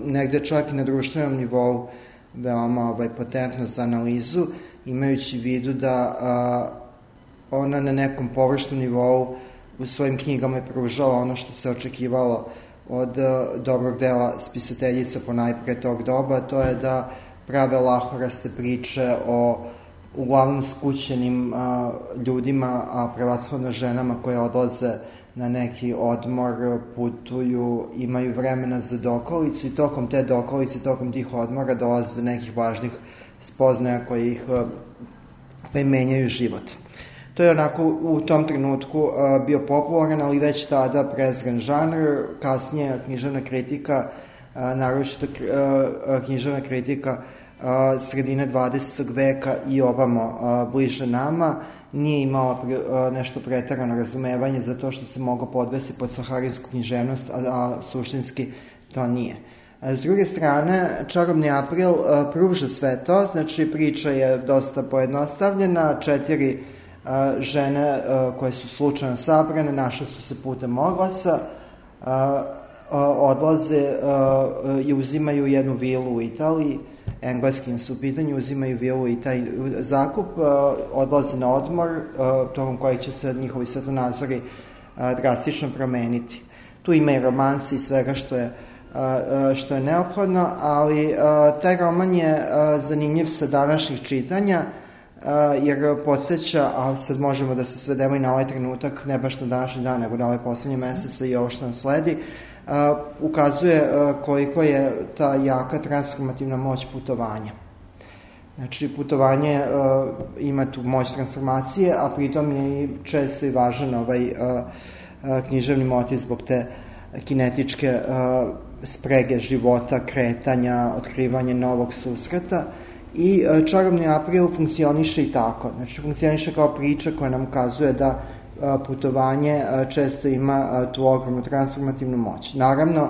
negde čak i na društvenom nivou veoma potentno za analizu, imajući u vidu da ona na nekom površnom nivou u svojim knjigama je pružala ono što se očekivalo od dobrog dela spisateljica ponajpre tog doba, to je da prave lahoraste priče o uglavnom skućenim ljudima, a prevashodno ženama koje odlaze na neki odmor, putuju, imaju vremena za dokolicu i tokom te dokolice, tokom tih odmora dolaze do nekih važnih spoznaja koje ih menjaju život. To je onako u tom trenutku bio popularan, ali već tada prezren žanr, kasnije književna kritika, naročito književna kritika sredine 20. veka i ovamo bliže nama, nije imala nešto preterano razumevanje za to što se moglo podvesti pod saharinsku književnost, a suštinski to nije. S druge strane, Čarobni april pruža sve to, znači priča je dosta pojednostavljena, 4 žene koje su slučajno sabrane, našle su se putem oglasa, odlaze i uzimaju jednu vilu u Italiji, engleskim su u pitanju, uzimaju vilu i taj zakup, odlaze na odmor, tokom kojeg će se njihovi svetonazori drastično promeniti. Tu ima i romansi i svega što je neophodno, ali taj roman je zanimljiv sa današnjih čitanja, jer podsjeća, a sad možemo da se svedemo i na ovaj trenutak, ne baš na današnji dan, nego na ove poslednje mesece i ovo što nam sledi, ukazuje koliko je ta jaka transformativna moć putovanja. Znači, putovanje ima tu moć transformacije, a pritom je često i važan ovaj književni motiv zbog te kinetičke sprege života, kretanja, otkrivanja novog susreta. I Čarobni april funkcioniše i tako. Znači, funkcioniše kao priča koja nam ukazuje da putovanje često ima tu ogromnu transformativnu moć. Naravno,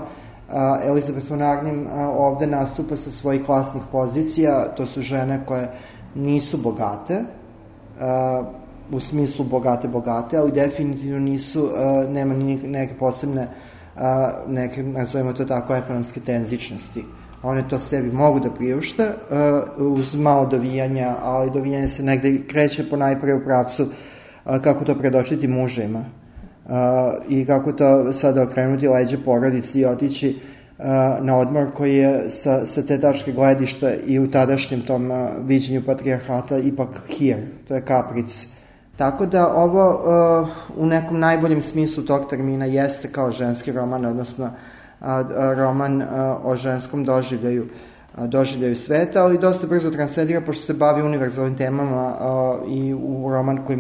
Elizabeth von Arnim ovde nastupa sa svojih vlastnih pozicija, to su žene koje nisu bogate, u smislu bogate, ali definitivno nisu, nema ni neke posebne, neke, nazovimo to tako, ekonomske tenzičnosti. One to sebi mogu da priušte uz malo dovijanja, ali dovijanje se negde kreće ponajpre u pravcu kako to predočiti mužima i kako to sada okrenuti leđe porodici i otići na odmor koji je sa te tačke gledišta i u tadašnjem tom viđenju patrijarhata ipak hir, to je kapric. Tako da ovo u nekom najboljem smislu tog termina jeste kao ženski roman, odnosno roman o ženskom doživljaju sveta, ali dosta brzo transcendira pošto se bavi univerzalnim temama i u roman koji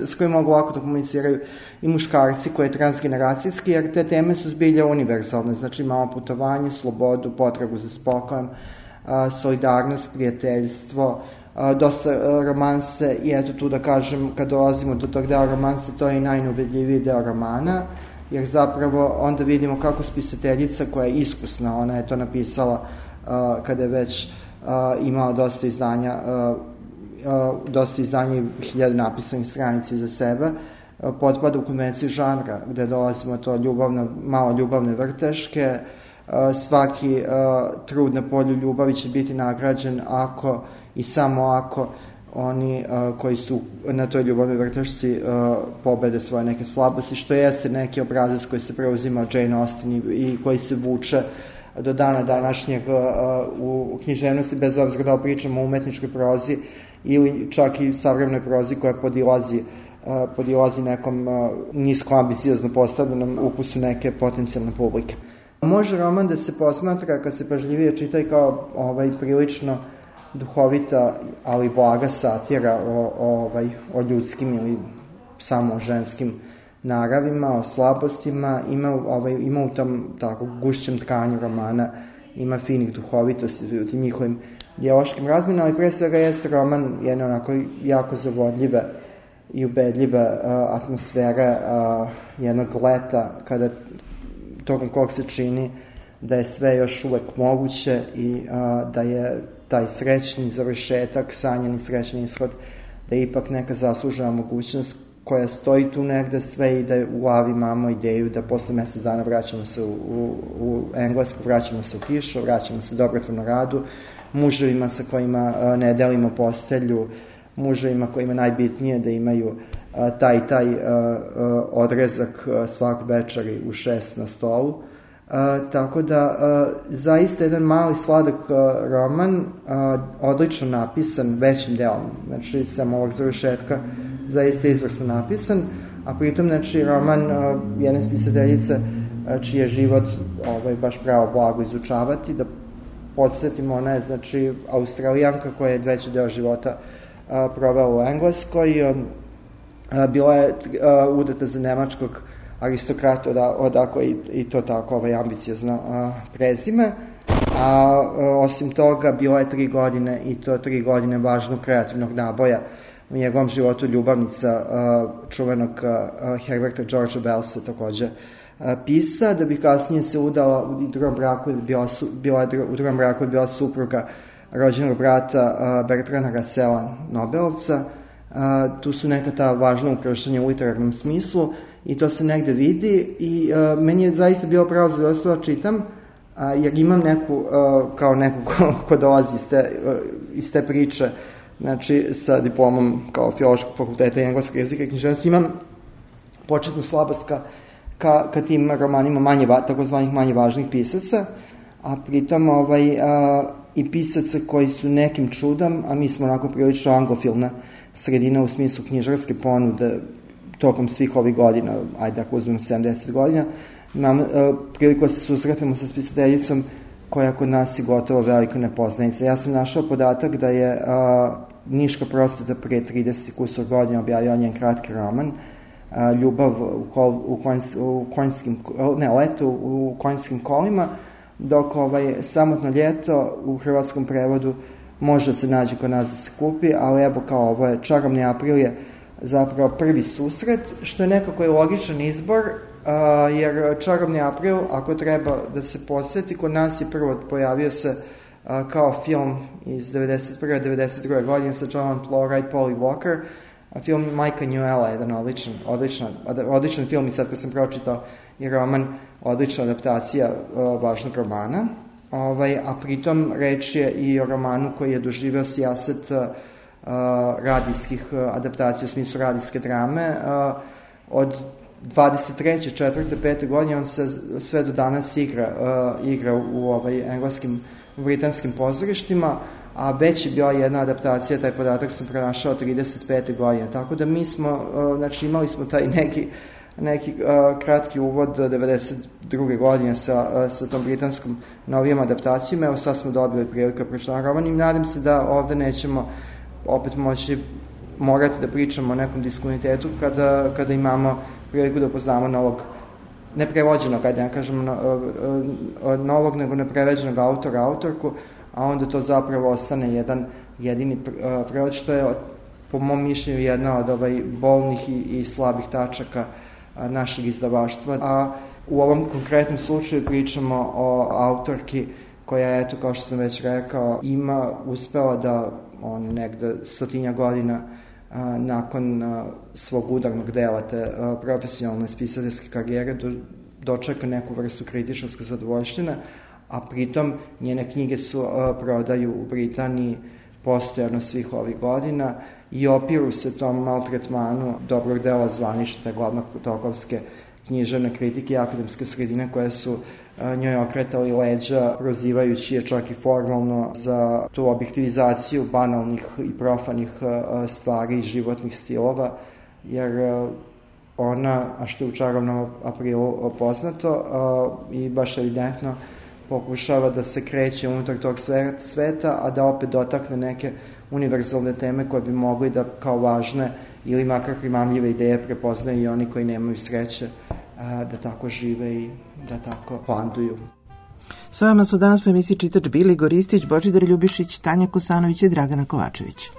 s kojim mogu lako da komuniciraju i muškarci, koji je transgeneracijski, jer te teme su zbilja univerzalne, znači imamo putovanje, slobodu, potrebu za spokojem, solidarnost, prijateljstvo, dosta romanse i eto tu da kažem, kad dolazimo do tog dela romanse, to je i najneubedljiviji deo romana, jer zapravo onda vidimo kako spisateljica koja je iskusna, ona je to napisala kada je već imala dosta izdanja i 1000 napisanih stranica iza sebe, potpada u konvenciju žanra, gde dolazimo to malo ljubavne vrteške, svaki trud na polju ljubavi će biti nagrađen ako i samo ako oni koji su na toj ljubavnoj vrtešci pobede svoje neke slabosti, što jeste neki obrazac koji se preuzima od Jane Austen i koji se vuče do dana današnjeg u književnosti, bez obzira da pričamo o umetničkoj prozi ili čak i savremenoj prozi koja podilazi nekom nisko ambiciozno postavljenom ukusu neke potencijalne publike. Može roman da se posmatra, kad se pažljivije čita, i kao prilično duhovita, ali blaga satira o ljudskim ili samo ženskim naravima, o slabostima. Ima u tom tako gušćem tkanju romana, ima finih duhovitosti u tim njihovim dijaloškim razmjenama, ali pre svega jeste roman jedne onako jako zavodljive i ubedljive atmosfere jednog leta, kada tokom kog se čini da je sve još uvek moguće i da je taj srećni završetak, sanjani srećni ishod, da je ipak neka zaslužena mogućnost koja stoji tu negde sve i da u glavi imamo ideju da posle mesec dana vraćamo se u Englesku, vraćamo se u kišu, vraćamo se dobrotvorno radu, muževima sa kojima ne delimo postelju, muževima kojima najbitnije da imaju taj odrezak svak večeri u 6 na stolu. Tako da zaista jedan mali sladak roman, odlično napisan većim delom, znači samo ovog završetka zaista izvrsno napisan, a pritom znači roman jedne spisateljice čiji je život baš pravo blago izučavati. Da podsjetimo, ona je znači Australijanka koja je veći deo života provela u Engleskoj, bila je udata za nemačkog aristokrata, odakle i to tako ambiciozno prezime, a osim toga bila je 3 godine i to 3 godine važnog kreativnog naboja u njegovom životu, ljubavnica čuvenog Herberta Georgea Wellsa, takođe pisa, da bi kasnije se udala u drugom braku, bila supruga rođenog brata Bertranda Russella, Nobelovca. Tu su neka ta važna ukrštanja u literarnom smislu i to se negde vidi i meni je zaista bilo pravo zadovoljstvo da čitam, jer imam neku ko dolazi iz te priče, znači sa diplomom kao filološkog fakulteta i engleskog jezika i književnosti, imam početnu slabost ka tim romanima takozvanih manje važnih pisaca, a pritom i pisaca koji su nekim čudom, a mi smo onako prilično anglofilna sredina u smislu knjižarske ponude tokom svih ovih godina, ajde ako uzmem 70 godina, imam priliku da se susretimo sa spisateljicom koja kod nas je gotovo velika nepoznanica. Ja sam našao podatak da je Niška prosveta pre 30 kusur godina objavila njen kratki roman Ljubav leto u konjskim kolima, dok Samotno ljeto u hrvatskom prevodu može da se nađe kod nas da se kupi, ali evo kao ovo je Čarobni april je zapravo prvi susret, što je nekako je logičan izbor, jer Čarobni april, ako treba da se posjeti, kod nas je prvo pojavio se kao film iz 91. 92. godine sa Johnom Plowright, Polly Walker, film Majka Newella, jedan odličan film, i sad kad sam pročitao i roman, odlična adaptacija važnog romana, a pritom reč je i o romanu koji je doživeo sijaset radijskih adaptacija u smislu radijske drame. Od 23. 4. 5. godine on se sve do danas igra u engleskim, britanskim pozorištima, a već je bila jedna adaptacija, taj podatak sam pronašao 35. godine, tako da mi smo, znači imali smo taj neki kratki uvod 92. godine sa tom britanskom novijom adaptacijom. Evo sad smo dobili priliku da pročitamo roman i nadam se da ovde nećemo opet morati da pričamo o nekom diskonitetu kada imamo priliku da poznamo novog, neprevođenog, ajde ne kažemo novog, nego nepreveđenog autora, autorku, a onda to zapravo ostane jedan jedini prevod, što je po mom mišljenju jedna od bolnih i slabih tačaka našeg izdavaštva. A u ovom konkretnom slučaju pričamo o autorki koja, eto, kao što sam već rekao, uspela da negde 100 godina nakon svog udarnog dela te profesionalne spisateljske karijere dočeka neku vrstu kritičarske zadovoljštine, a pritom njene knjige su prodaju u Britaniji postojano svih ovih godina i opiru se tom maltretmanu dobrog dela zvanične glavnotokovske književne kritike i akademske sredine koje su njoj okretali leđa, prozivajući je čak i formalno za tu objektivizaciju banalnih i profanih stvari i životnih stilova, jer ona, a što je u Čarobnom aprilu poznato i baš evidentno, pokušava da se kreće unutar tog sveta, a da opet dotakne neke univerzalne teme koje bi mogli da kao važne ili makar primamljive ideje prepoznaju i oni koji nemaju sreće da tako žive i da tako planduju. Sa vama su danas u emisiji Čitač bili Igor Ristić, Božidar Ljubišić, Tanja Kosanović i Dragana Kovačević.